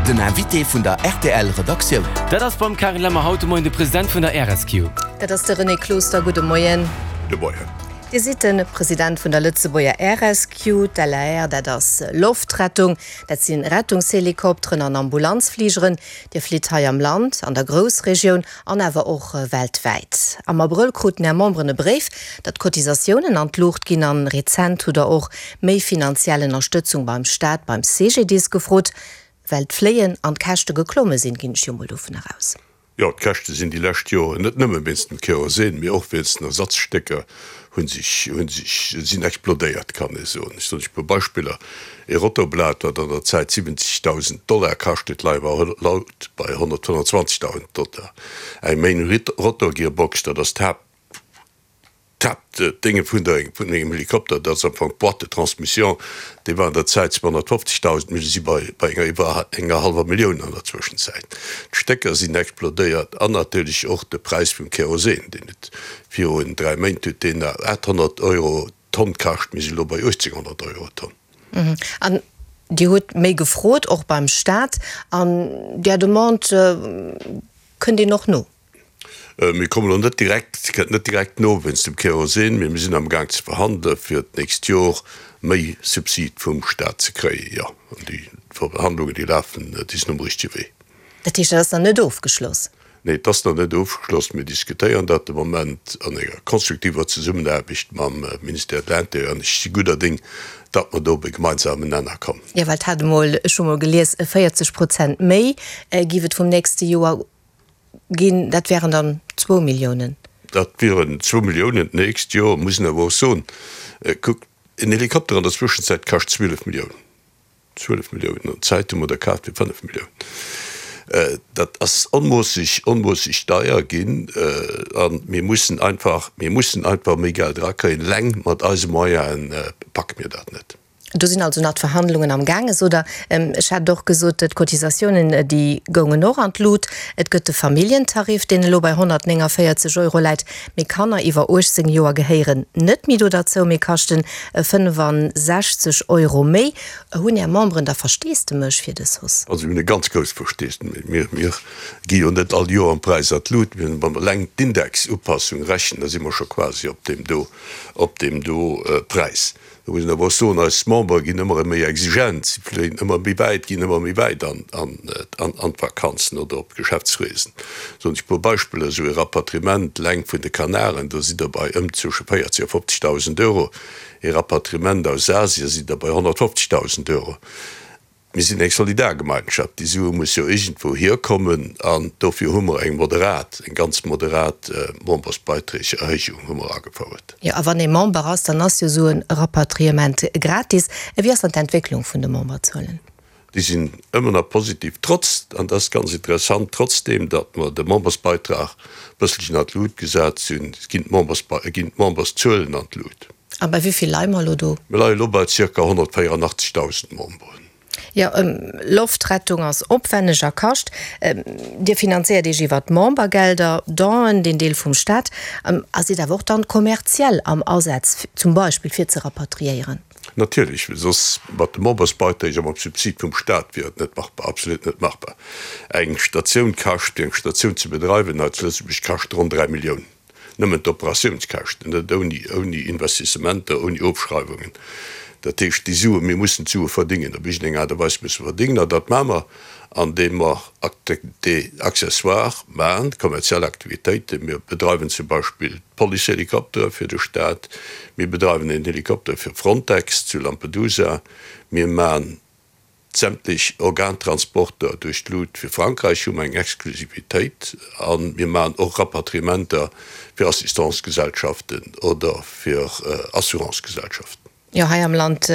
Den Invité vun der rtl Redaktioun. Dat ass beim Karin Lemmer haut de Moien de President vun der RSQ. Dat ass de René Closter. Gudde Moien. Gudde Moien. Dir sidd de President vun der Lëtzebuerger RSQ. D'LAR, dat ass Loftrettung. Dat si Rettungshelikopteren an Ambulanzfligeren. Dir flitt hei am Land, an der Groussregioun an awer och weltwäit. Am Abrëll kruten Är Memberen e Bréif, datt d'Cotisatiounen an d'Luucht ginn an rezent hutt Der och méi finanziell Ënnerstëtzung beim Staat, beim CGDIS gefrot, well d'Fléien an d'Käschte geklomme sinn, ginn ech jo mol dovun eraus. Jo, d'Käschte sinn déi lescht Joren net nëmme wéinst dem Kerosin, mee och wéinst den Ersatzstécker hu sech, hu sech, sinn explodéiert, kann ee soen. Ech soen lech e puer Beispiller, Ee Rotorblat, wat an der Zäit 70.000 Dollar kascht huet, leie mer haut bei 125.000 Dollar. Eng Main Rotor Gearbox, dat ass d'Haapt, D'Haaptdénge vun der vun engem Helikopter, dat ass am Fong d'Boîte de transmission, déi war an der Zäit 250.000, mir si bei bei enger iwwer enger hallwer Millioun an der Zwëschenzäit. D'Stécker sinn explodéiert an natierlech och de Präis vum Kerosin, deen huet virun 3 Méint huet deen nach 800 Euro d'Tonn kascht, mir si elo bei 1.800 Euro d'Tonn. An Dir hutt méi gefrot, och beim Staat, an där Demande kënnt een och no? Mir kommen elo net direkt, kënnt net direkt no wéinst dem Kerosin, mee mir sinn am Gaang ze verhandele fir d'nächst Jor méi Subsid vum Staat ze kréien. Jo, an déi Verhandlungen, déi lafen, déi sinn um richtege Wee. Dat heescht, dat ass nach net ofgeschloss? Nee, et ass nach net ofgeschloss. Mir diskutéieren dat de Moment an enger konstruktiver Zesummenaarbecht mam Ministère de l'Intérieur an ech si gudder Ding, datt mer do op e gemeinsamen Nenner kommen. Jo, well et hat emol, ech hu mol gelies, 40 Prozent méi géif et vum nächste Joer Ginn, dat wären dann zwou Milliounen. Dat wieren zwou Milliounen d'nächst Joer. Muss een awer och soen, kuckt, en Helikopter an der Zwëschenzäit kascht 12 Milliounen. 12 Milliounen! An d'Zäit hu mer der kaf fir 5 Milliounen. Dat ass onmoosseg, onmoosseg deier ginn. A mir mussen einfach, mir mussen einfach méi Geld erakréien. Eleng mat eise Moyene packe mir dat net. Do sinn also nach d'Verhandlungen am gaange, sot Der. Ech hat och gesot, d'Cotisatiounen, déi goungen och an d'Lut. Et gëtt de Familljentarif, deen elo bei 149 Euro läit. Mee Kanner iwwer 18 Joer gehéieren net méi do derzou, mee kaschten 65 Euro méi. Hunn Är Memberen da Versteesdemech fir dës Hausse? Also mir hunn e ganz grousst Versteesdemech. Mir, mir gi jo net all Joer am Präis an d'Lut. Mir hunn, wa mer eleng d'Indexupassung rechnen, da si mer scho quasi op deem do, op deem do Präis. Do muss een awer och soen, eis Membere ginn ëmmer méi exigent, si fléien ëmmer méi wäit, ginn ëmmer méi wäit an d'Vakanzen oder op Geschäftsreesen. Soen ech e puer Beispiller, esou ee Rapatriement eleng vun de Kanaren, do sidd Der bei ëm zwësche 40 a 50.000 Euro, ee Rapatriement aus Asien sidd Der bei 150.000 Euro. Mir sinn eng Solidargemeinschaft, déi Sue muss jo iergendwou hierkommen an dofir hu mer eng moderat, eng ganz moderat Membersbeiträgerhéijung hu mer agefouert. Jo, a wann ee Member ass, dann ass jo esou e Rapatriement gratis. Wéi ass dann d'Entwécklung vun de Memberzuelen? Déi sinn ëmmer nach positiv, trotz, an dat ass ganz interessant, trotzdeem datt mer de Membersbeitrag e bësselchen an d'Lut gesat hunn, ginn d'Memberszuelen an d'Lut. A bei wéi vill leie mer elo do? Mir leie elo bei zirka 184.000 Memberen. Jo, Loftrettung ass opwenneg a kascht. Dir finanzéiert Iech iwwer d'Membergelder, Donen, deen Deel vum Staat, a sidd awer och dann kommerziell am Asaz, zum Beispill fir ze rapatriéieren. Natierlech, well soss mat de Membersbeiträg a mam Subsid vum Staat wier et net machbar, absolut net machbar. Eng Statioun kascht, fir eng Statioun ze bedreiwen hei zu Lëtzebuerg, kascht ronn 3 Milliounen. Nëmmen d'Operatiounskäschten, net ouni, ouni Investissementer, ouni Ofschreiwungen. Dat heescht, déi Suen, mir mussen d'Sue verdingen, op iergendeng Aart a Weis musse verdingen. An dat maache mer, andeem mer Activités accessoires maachen, kommerziell Aktivitéiten. Mir bedreiwen zum Beispill d'Policehelikoptere fir de Staat, mir bedreiwen een Helikopter fir Frontex zu Lampedusa, mir maachen Sämtlech Organtransporter duerch d'Lut fir Frankräich hu mer eng Exklusivitéit a mir maachen och Rapatriementer fir Assistancegesellschaften oder fir Assurancegesellschaften. Jo, hei am Land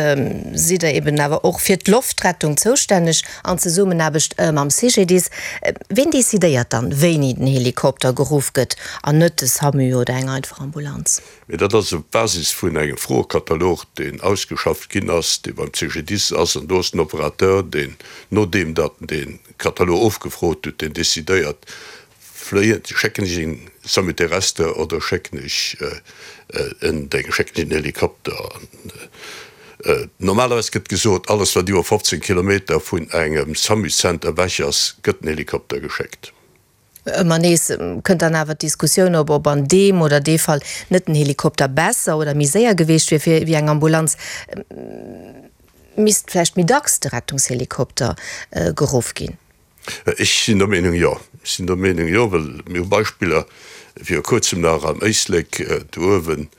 sidd Der eben awer och fir d'Loftrettung zoustänneg an Zesummenaarbecht mam CGDIS. Ween decidéiert dann, wéini den Helikopter geruff gëtt an net de SAMU oder eng einfach Ambulanz? Mee dat ass op Basis vun engem Froekatalog, deen ausgeschafft ginn ass, dee beim CGDIS ass. An do ass den Operateur, deen, nodeem datt en dee Katalog ofgefrot huet, deen decidéiert, fléien, schécken ech en Samu terrestre oder schécken ech en Déng, schécken ech en Helikopter. Normalerweis gëtt gesot, alles wat iwwer 15 Kilometer vun engem SAMU-Center ewech ass, gëtt den Helikopter geschéckt. Ëmmer nees kënnt dann awer d'Diskussioun op, ob an deem oder dee Fall net den Helikopter besser oder méi séier geweecht wier fir wéi eng Ambulanz. Misst vläicht méi dacks de Rettungshelikopter geruff ginn? Ech sinn der Meenung, jo. Ech sinn der Meenung, jo, well mir hu Beispiller, viru Kuerzem nach am Éislek do uewen,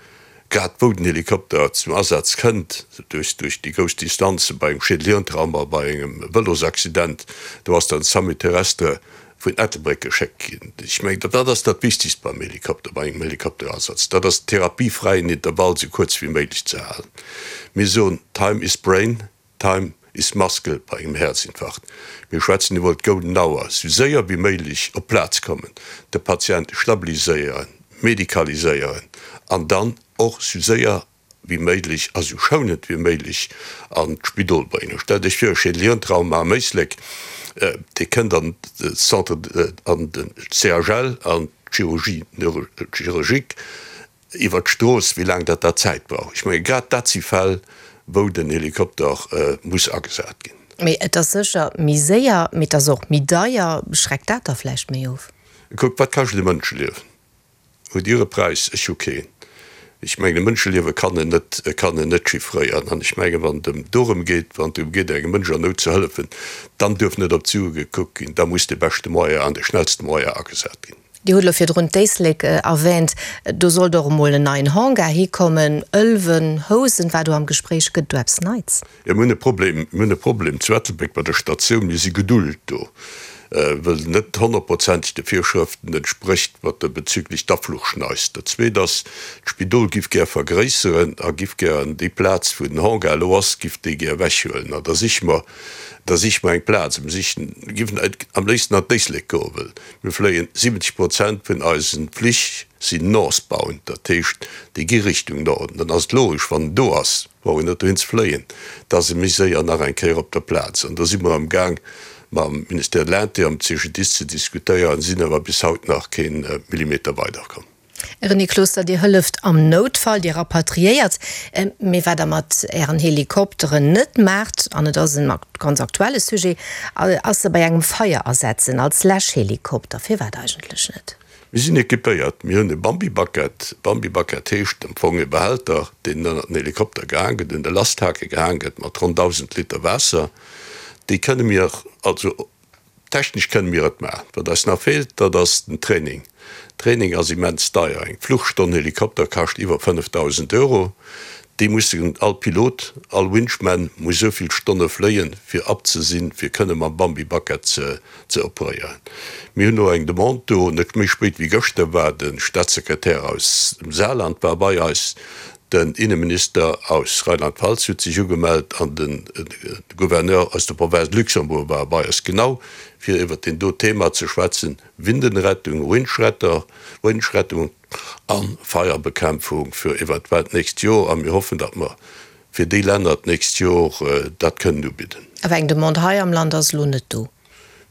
grad wou den Helikopter zum Asaz kënnt, duerch déi grouss Distanze bei engem Schädelhirntrauma, bei engem Vëlosaccident, do ass dann d'Samu terrestre vun Ettelbréck geschéckt ginn. Ech mengen, dat ass dat Wichtigst beim Helikopter, bei engem Helikopterasaz, dat ass den therapiefräien Intervall esou kuerz wéi méiglech ze halen. Mir soen, Time is brain. Time is muscle bei engem Häerzinfarkt. Mir schwätzen iwwer d'Golden Hour, sou séier wéi méiglech op d'Plaz kommen, de Patient stabiliséieren, medikaliséieren an dann och sou séier wéi méiglech a sou schounend wéi méiglech an d'Spidol bréngen. Stellt Iech vir, e Schädelhirntrauma am Éislek, dee kënnt an de Centre, an de CHL, an d'Chirurgie neurologique, iwwert d'Strooss, wéi laang dat dat Zäit brauch. Ech menge grad dat si Fäll, wou den Helikopter muss agesat ginn. Mee et ass sécher méi séier, mee et ass och méi deier. Schreckt dat da vläicht méi of? Kuckt, wat kascht e Mënscheliewen? Hutt Dir e Präis? Ech hu keen. Ech mengen, e Mënscheliewe kann een net, kann een net chiffréieren. An ech mengen, wann et ëm dorëm geet, wann et drëm geet, engem Mënsch an Nout ze hëllefen, dann duerf net op d'Sue gekuckt ginn, da muss de beschte Moyen an de schnellste Moyen agesat ginn. Dir hutt elo virdrun d'Éislek erwähnt. Do sollt och emol en neien Hangar hikommen. Ëlwen, Housen war do am Gespréich. Gëtt et do eppes Neits? Jo, mir hunn e Problem, mir hunn e Problem zu Ettelbréck bei der Statioun. Mir si gedullt do, wëll se net honnertprozenteg de Virschrëften entsprécht, wat de bezüglech d'Afluchschneis. Dat Zweet ass, d'Spidol giff gär vergréisseren a giff gären déi Plaz, wou den Hangar elo ass, giff déi gär ewechhuelen. An da siche mer, da siche mer eng Plaz. Mir sichen, giffen am léifsten an d'Éislek goen, wëll Mir fléien, 70 Prozent vun eisen Flich sinn northbound, dat heescht déi gi Richtung Norden. Dann ass et logesch, wann en do ass, brauch een net dohin ze fléien, da ass e méi séier nach eng Kéier op der Plaz. An do si mer am Gaang mam Ministère de l'Intérieur, am CGDIS ze diskutéieren, sinn awer bis haut nach kee Millimeter weiderkomm. René Closter, Dir hëlleft am Noutfall, Dir rapatriéiert. Mee wat Der mat Ären Helikopteren net maacht, an et ass en ganz aktuelle Sujet, ass se bei engem Feier asetzen als Läschhelikopter. Firwat eigentlech net? Mir sinn equipéiert. Mir hunn e Bambi-Bucket. Bambi-Bucket heescht am Fong e Behälter, deen ënnert den Helikopter gehaang gëtt, un de Lasthake gehaang gëtt, mat ronn 1.000 Liter Waasser. Déi kënne mir also Technesch kënne mir et maachen. Wat eis nach feelt, dat ass den Training. Training ass immens deier. Eng Fluchstonn Helikopter kascht iwwer 5.000 Euro. Déi mussen, all Pilot, all Winchman muss esou vill Stonne fléien, fir apte ze sinn, fir kënne mam Bambi Bucket ze operéieren. Mir hunn elo eng Demande do. Net méi spéit wéi gëschter war de Staatssekretär aus dem Saarland war bei eis. Den Inneminister aus Rheinland-Pfalz huet sech ugemellt an de Gouverneur aus der Province Luxembourg war bei eis, genau fir iwwert deen do Thema ze schwätzen, Windenrettung, Windschretter, Windschrettung a Feierbekämpfung fir eventuell d'nächst Jor. A mir hoffen, datt mer fir déi Länner d'nächst Jor dat kënnen ubidden. Awer eng Demande hei am Land ass elo net do.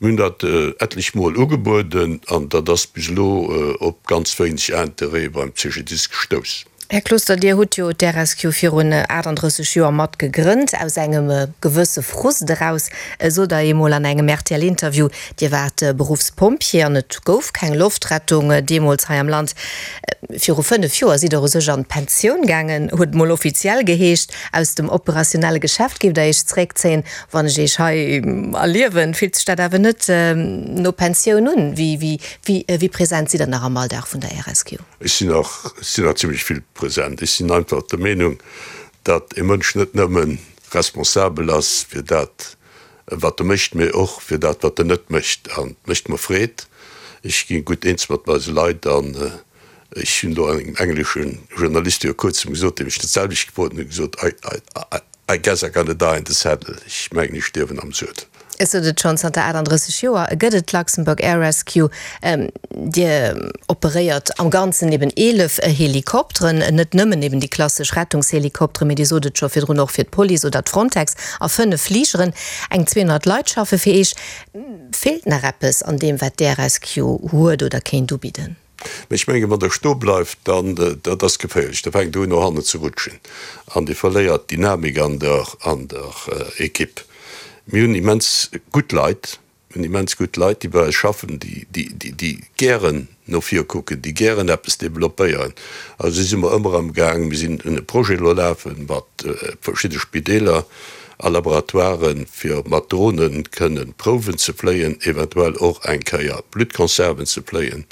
Mir hunn dat etlech Mol ugebueden an dat ass bis elo op ganz wéineg Interêt beim CGDIS gestouss. Här Closter, Dir hutt jo d'RSQ virun 38 Joer mat gegrënnt, aus engem gewësse Frust eraus, sot Der eemol an engem RTL-Interview. Dir waart Beruffspompjee an et gouf keng Loftrettung deemools hei am Land. Viru 5 Joer sidd Der u sech an d'Pensioun gaangen, huet et mol offiziell geheescht. Aus dem operationelle Geschäft géift Der Iech zeréckzéien. Wann ech Iech hei erliewen, fillt sech dat awer net no Pensioun un. Wéi present sidd Der nach am Alldag vun der RSQ? Ech sinn nach, ech sinn nach zimmlech vill present. Ech sinn einfach der Meenung, datt e Mënsch net nëmme responsabel ass fir dat, wat e mécht, mee och fir dat, wat en net mécht. An et mécht mer Freed. Ech gi gutt eens mat eise Leit an Ech hunn do engem englesche Journalist viru kuerzem gesot, dee mech dat selwecht gefrot huet, gesot, I, I, I guess I'm gonna die in the saddle. Ech mengen, ech stierwen am Suedel. Ech sot et schonn, zanter 38 Joer gëtt et d'Luxembourg Air Rescue. Dir operéiert am Ganzen eben 11 Helikopteren, net nëmmen eben déi klassesch Rettungshelikopteren, mee Dir sot et scho virdrun, och fir d'Police oder d'Frontex a 5 Fligeren. Eng 200 Leit schaffe fir Iech. Feelt nach eppes an deem, wat d'Air Rescue huet oder kéint ubidden? Mee ech mengen, wann Der stoe bleift, dann, dat ass geféierlech, da fänkt Der un no hannen ze rutschen an Dir verléiert d'Dynamik an der, an der Ekipp. Mir hunn immens gutt Leit, mir hunn immens gutt Leit, déi bei eis schaffen, déi, déi, déi, déi gären no vir kucken, déi gären eppes developpéieren. Also si mer ëmmer am Gaang, mir sinn un e Projet elo lafe mat verschidde Spideeler a Laboratoiren, fir mat Drohne kënnen Prouwen ze fléien, eventuell och eng Kéier Bluttconserven ze fléien.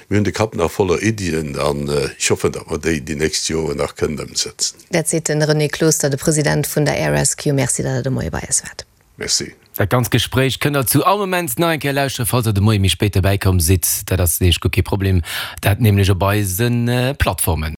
Mir hunn de Kapp nach voller Iddien an ech hoffen, datt mer déi déi nächst Joren nach kënnen ëmsetzen. Dat seet de René Closter, de President vun der Air Rescue. Merci, datt Der de Moie bei eis waart. Merci. Dat ganzt Gespréich kënnt der zu all Moment nach eng Kéier lauschteren, falls der de Moie méi spéit derbäi komm sidd. Dat ass nämlech guer kee Problem, dat nämlech op eise Plattformen.